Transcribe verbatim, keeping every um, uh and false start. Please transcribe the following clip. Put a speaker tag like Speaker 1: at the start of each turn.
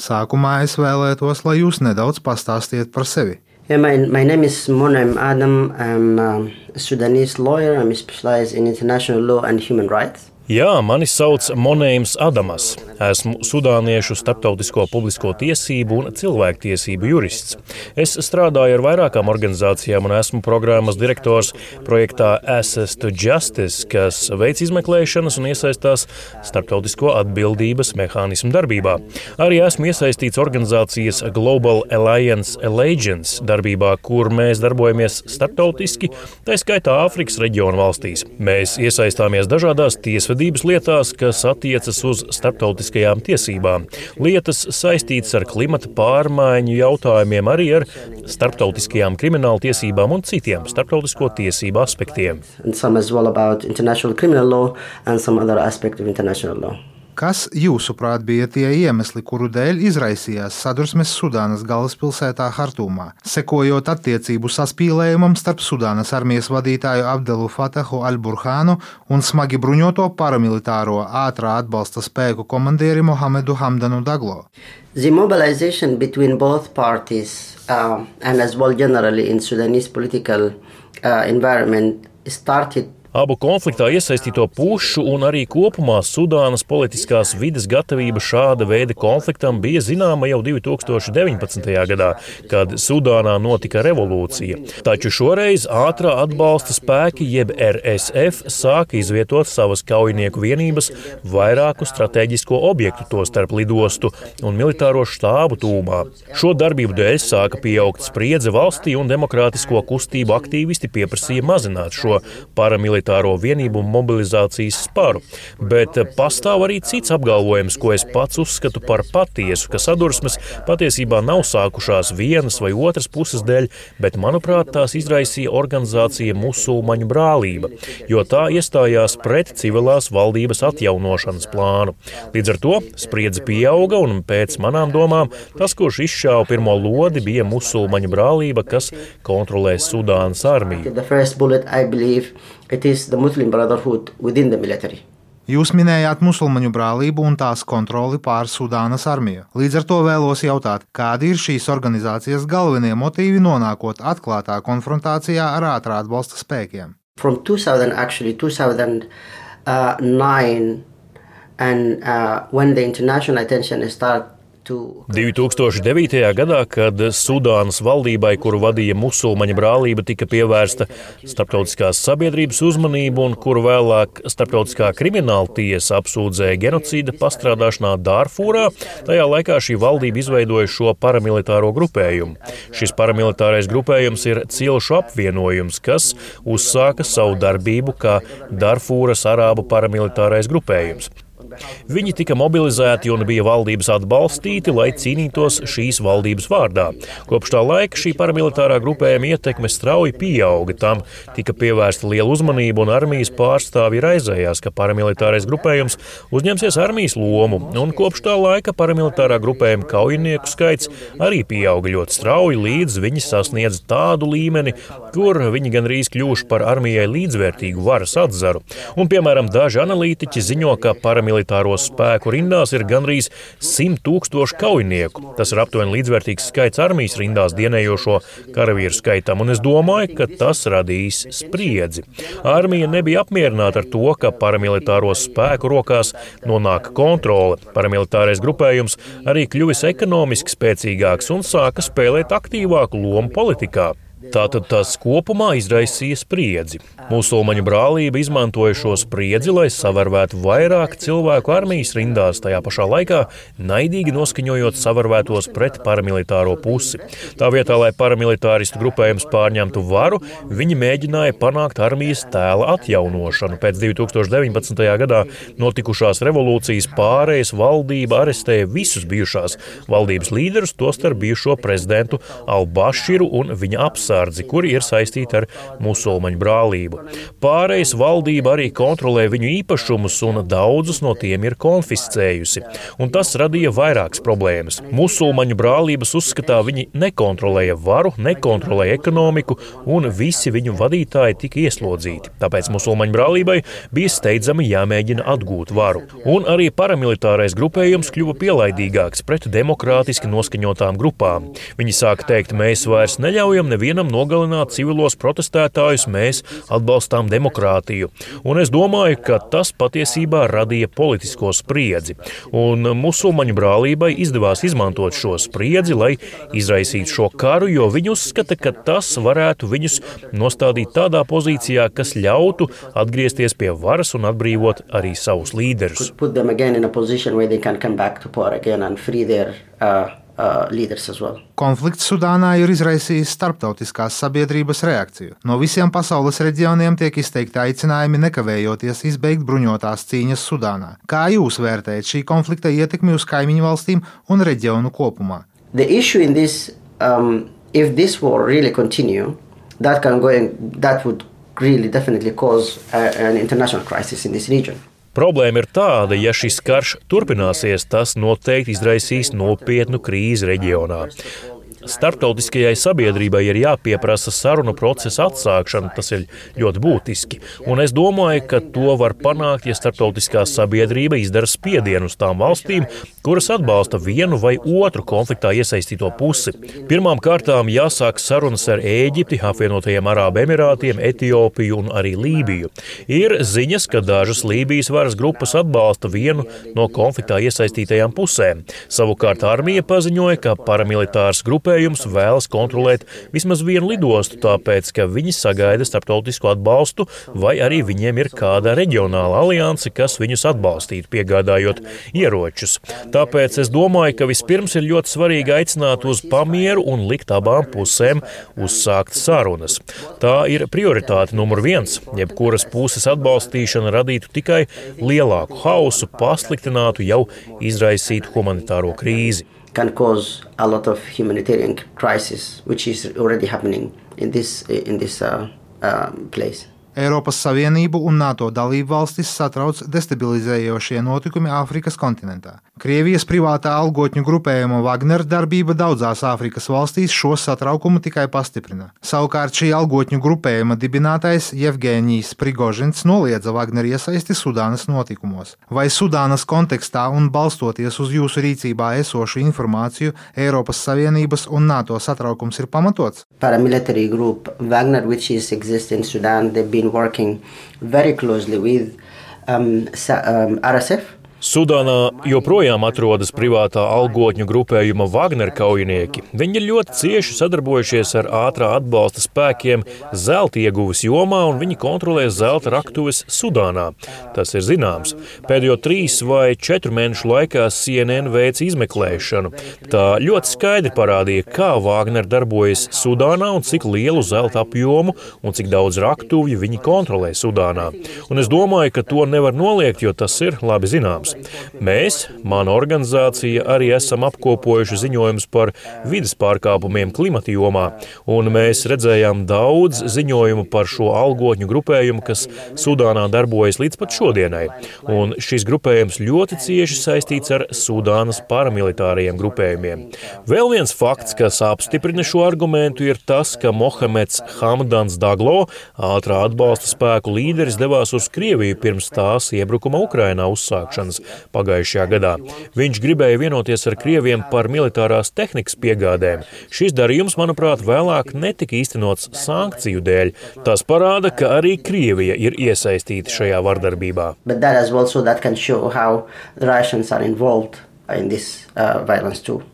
Speaker 1: Sākumā es vēlētos, lai jūs nedaudz pastāstiet par sevi.
Speaker 2: Yeah, my, my name is Monem Adam. I'm um, a Sudanese lawyer. I'm specialized in international law and human rights.
Speaker 3: Jā, mani sauc Monēms Adamas. Esmu sudāniešu starptautisko publisko tiesību un cilvēktiesību jurists. Es strādāju ar vairākām organizācijām un esmu programmas direktors projektā Access to Justice, kas veic izmeklēšanas un iesaistās starptautisko atbildības mehānismu darbībā. Arī esmu iesaistīts organizācijas Global Alliance Allegiance darbībā, kur mēs darbojamies starptautiski, tā skaitā Āfrikas reģiona valstīs. Mēs iesaistāmies dažādās tiesvedības lietās, kas attiecas uz starptautiskajām tiesībām. Lietas saistītas ar klimata pārmaiņu jautājumiem, arī ar starptautiskajām krimināla tiesībām un citiem starptautisko tiesību aspektiem.
Speaker 2: And some as well about international criminal law and some other aspect of international law.
Speaker 1: Kas, jūsuprāt, bija tie iemesli, kuru dēļ izraisījās sadursmes Sudānas galvaspilsētā Hartumā, sekojot attiecību saspīlējumam starp Sudānas armijas vadītāju Abdelu Fatahu al-Burhānu un smagi bruņoto paramilitāro ātrā atbalsta spēku komandieri Mohamedu Hamdanu Daglo?
Speaker 2: The mobilization between both parties uh, and as well generally in Sudanese political uh, environment started
Speaker 3: Abu konfliktā iesaistīto pušu un arī kopumā Sudānas politiskās vides gatavība šāda veida konfliktam bija zināma jau divi tūkstoši deviņpadsmitajā gadā, kad Sudānā notika revolūcija. Taču šoreiz ātrā atbalsta spēki jeb R S F sāka izvietot savas kaujinieku vienības vairāku strateģisko objektu, tostarp lidostu un militāro štābu tūmā. Šo darbību dēļ sāka pieaugt spriedze valstī un demokrātisko kustību aktīvisti pieprasīja mazināt šo paramilitāro militāro vienību mobilizācijas sparu, bet pastāv arī cits apgalvojums, ko es pats uzskatu par patiesu, ka sadursmes patiesībā nav sākušās vienas vai otras puses dēļ, bet, manuprāt, tās izraisīja organizācija Musulmaņu brālība, jo tā iestājās pret civilās valdības atjaunošanas plānu. Līdz ar to spriedze pieauga un pēc manām domām tas, kurš izšāva pirmo lodi, bija Musulmaņu brālība, kas kontrolē Sudānas armiju.
Speaker 2: The first bullet, I believe, it is the Muslim Brotherhood within the military.
Speaker 1: Jūs minējāt Musulmaņu brālību un tās kontroli pār Sudānas armiju. Līdz ar to vēlos jautāt, kādi ir šīs organizācijas galvenie motīvi nonākot atklātā konfrontācijā ar ātrā atbalsta spēkiem?
Speaker 2: From two thousand, actually, two thousand nine, and uh, when the international attention started
Speaker 3: divi tūkstoši devītajā gadā, kad Sudānas valdībai, kuru vadīja Musulmaņu brālība, tika pievērsta starptautiskās sabiedrības uzmanība un kuru vēlāk starptautiskā krimināla tiesa apsūdzēja genocīda pastrādāšanā Dārfūrā, tajā laikā šī valdība izveidoja šo paramilitāro grupējumu. Šis paramilitārais grupējums ir cilšu apvienojums, kas uzsāka savu darbību kā Dārfūras arābu paramilitārais grupējums. Viņi tika mobilizēti un bija valdības atbalstīti, lai cīnītos šīs valdības vārdā. Kopš tā laika šī paramilitārā grupējuma ietekme strauji pieauga, tam tika pievērsta liela uzmanība un armijas pārstāvji raizējās, ka paramilitārais grupējums uzņemsies armijas lomu, un kopš tā laika paramilitārā grupējuma kaujinieku skaits arī pieauga ļoti strauji, līdz viņi sasniedz tādu līmeni, kur viņi gandrīz kļuvuši par armijai līdzvērtīgu varas atzaru. Un, piemēram, daži analītiķi ziņo, ka paramilitārais militāro spēku rindās ir gandrīz simt tūkstoši kaujinieku. Tas ir aptuveni līdzvērtīgs skaits armijas rindās dienējošo karavīru skaitam, un es domāju, ka tas radīs spriedzi. Armija nebija apmierināta ar to, ka paramilitāro spēku rokās nonāk kontrole. Paramilitārais grupējums arī kļuvis ekonomiski spēcīgāks un sāka spēlēt aktīvāku lomu politikā. Tātad tas kopumā izraisīja spriedzi. Musulmaņu brālība izmantoja šo spriedzi, lai savarvētu vairāk cilvēku armijas rindās, tajā pašā laikā naidīgi noskaņojot savarvētos pret paramilitāro pusi. Tā vietā, lai paramilitāristu grupējums pārņemtu varu, viņi mēģināja panākt armijas tēla atjaunošanu. Pēc divi tūkstoši deviņpadsmitajā gadā notikušās revolūcijas pārējas valdība arestēja visus bijušās valdības līderus, tostarp bijušo prezidentu Al-Baširu un viņa apstākļus. zemesardzi, kuri ir saistīti ar musulmaņu brālību. Pārejas valdība arī kontrolē viņu īpašumus, un daudzus no tiem ir konfiscējusi. Un tas radīja vairākas problēmas. Musulmaņu brālības uzskatā viņi nekontrolēja varu, nekontrolēja ekonomiku, un visi viņu vadītāji tika ieslodzīti. Tāpēc musulmaņu brālībai bija steidzami jāmēģina atgūt varu. Un arī paramilitārais grupējums kļuva pielaidīgāks pret demokrātiski noskaņotām grupām. Viņi sāka teikt, mēs vairs neļaujam nevienam nogalināt civilos protestētājus, mēs atbalstām demokrātiju. Un es domāju, ka tas patiesībā radīja politisko spriedzi. Un musulmaņu brālībai izdevās izmantot šo spriedzi, lai izraisītu šo karu, jo viņi uzskata, ka tas varētu viņus nostādīt tādā pozīcijā, kas ļautu atgriezties pie varas un atbrīvot arī savus līderus.
Speaker 2: Uh, uh, leaders as well.
Speaker 1: Konflikts Sudānā ir izraisījis starptautiskās sabiedrības reakciju. No visiem pasaules reģioniem tiek izteikti aicinājumi nekavējoties izbeigt bruņotās cīņas Sudānā. Kā jūs vērtējat šī konflikta ietekmi uz kaimiņu valstīm un reģionu kopumā?
Speaker 2: The issue in this, um, if this war really continue, that can go in, that would really definitely cause a, an international crisis in this region.
Speaker 3: Problēma ir tāda, ja šis karš turpināsies, tas noteikti izraisīs nopietnu krīzi reģionā. Starptautiskajai sabiedrībai ir jāpieprasa sarunu procesa atsākšana, tas ir ļoti būtiski. Un es domāju, ka to var panākt, ja starptautiskā sabiedrība izdara spiedienu uz tām valstīm, kuras atbalsta vienu vai otru konfliktā iesaistīto pusi. Pirmām kārtām jāsāk sarunas ar Ēģipti, apvienotajiem Arābu Emirātiem, Etiopiju un arī Lībiju. Ir ziņas, ka dažas Lībijas varas grupas atbalsta vienu no konfliktā iesaistītajām pusēm. Savukārt armija paziņoja, ka paramilitārs grupējums vēlas kontrolēt vismaz vienu lidostu, tāpēc, ka viņi sagaida starptautisku atbalstu, vai arī viņiem ir kāda reģionāla alianse, kas viņus atbalstītu, piegādājot ieročus. Tāpēc es domāju, ka vispirms ir ļoti svarīgi aicināt uz pamieru un likt abām pusēm uzsākt sarunas. Tā ir prioritāte numur viens. Jebkuras puses atbalstīšana radītu tikai lielāku hausu, pasliktinātu jau izraisītu humanitāro krīzi.
Speaker 2: Can cause a lot of humanitarian crisis, which is already happening in this in this uh, uh, place.
Speaker 1: Eiropas Savienību un NATO dalību valstis satrauc destabilizējošie notikumi Āfrikas kontinentā. Krievijas privātā algotņu grupējuma Wagner darbība daudzās Āfrikas valstīs šo satraukumu tikai pastiprina. Savukārt šī algotņu grupējuma dibinātais Jevgeņijs Prigožins noliedza Wagner iesaisti Sudānas notikumos. Vai Sudānas kontekstā un balstoties uz jūsu rīcībā esošu informāciju, Eiropas Savienības un NATO satraukums ir pamatots?
Speaker 2: Paramilitary group Wagner, which is exist in Sudan, they've been working very closely with um, um, R S F.
Speaker 3: Sudānā joprojām atrodas privātā algotņu grupējuma Wagner kaujinieki. Viņi ir ļoti cieši sadarbojušies ar ātrā atbalsta spēkiem zelta ieguves jomā, un viņi kontrolē zelta raktuves Sudānā. Tas ir zināms. Pēdējo trīs vai četru mēnešu laikā C N N veica izmeklēšanu. Tā ļoti skaidri parādīja, kā Wagner darbojas Sudānā un cik lielu zelta apjomu un cik daudz raktuvju viņi kontrolē Sudānā. Un es domāju, ka to nevar noliegt, jo tas ir labi zināms. Mēs, mana organizācija, arī esam apkopojuši ziņojumus par vides pārkāpumiem klimata jomā, un mēs redzējām daudz ziņojumu par šo algotņu grupējumu, kas Sudānā darbojas līdz pat šodienai. Un šis grupējums ļoti cieši saistīts ar Sudānas paramilitārajiem grupējumiem. Vēl viens fakts, kas apstiprina šo argumentu, ir tas, ka Mohameds Hamdans Daglo, ātrā atbalsta spēku līderis, devās uz Krieviju pirms tās iebrukuma Ukrainā uzsākšanas pagājušajā gadā. Viņš gribēja vienoties ar Krieviem par militārās tehnikas piegādēm. Šis darījums, manuprāt, vēlāk netika īstenots sankciju dēļ. Tas parāda, ka arī Krievija ir iesaistīta šajā vardarbībā.
Speaker 2: But that as well, so that can show how the Russians are involved in this uh, violence too.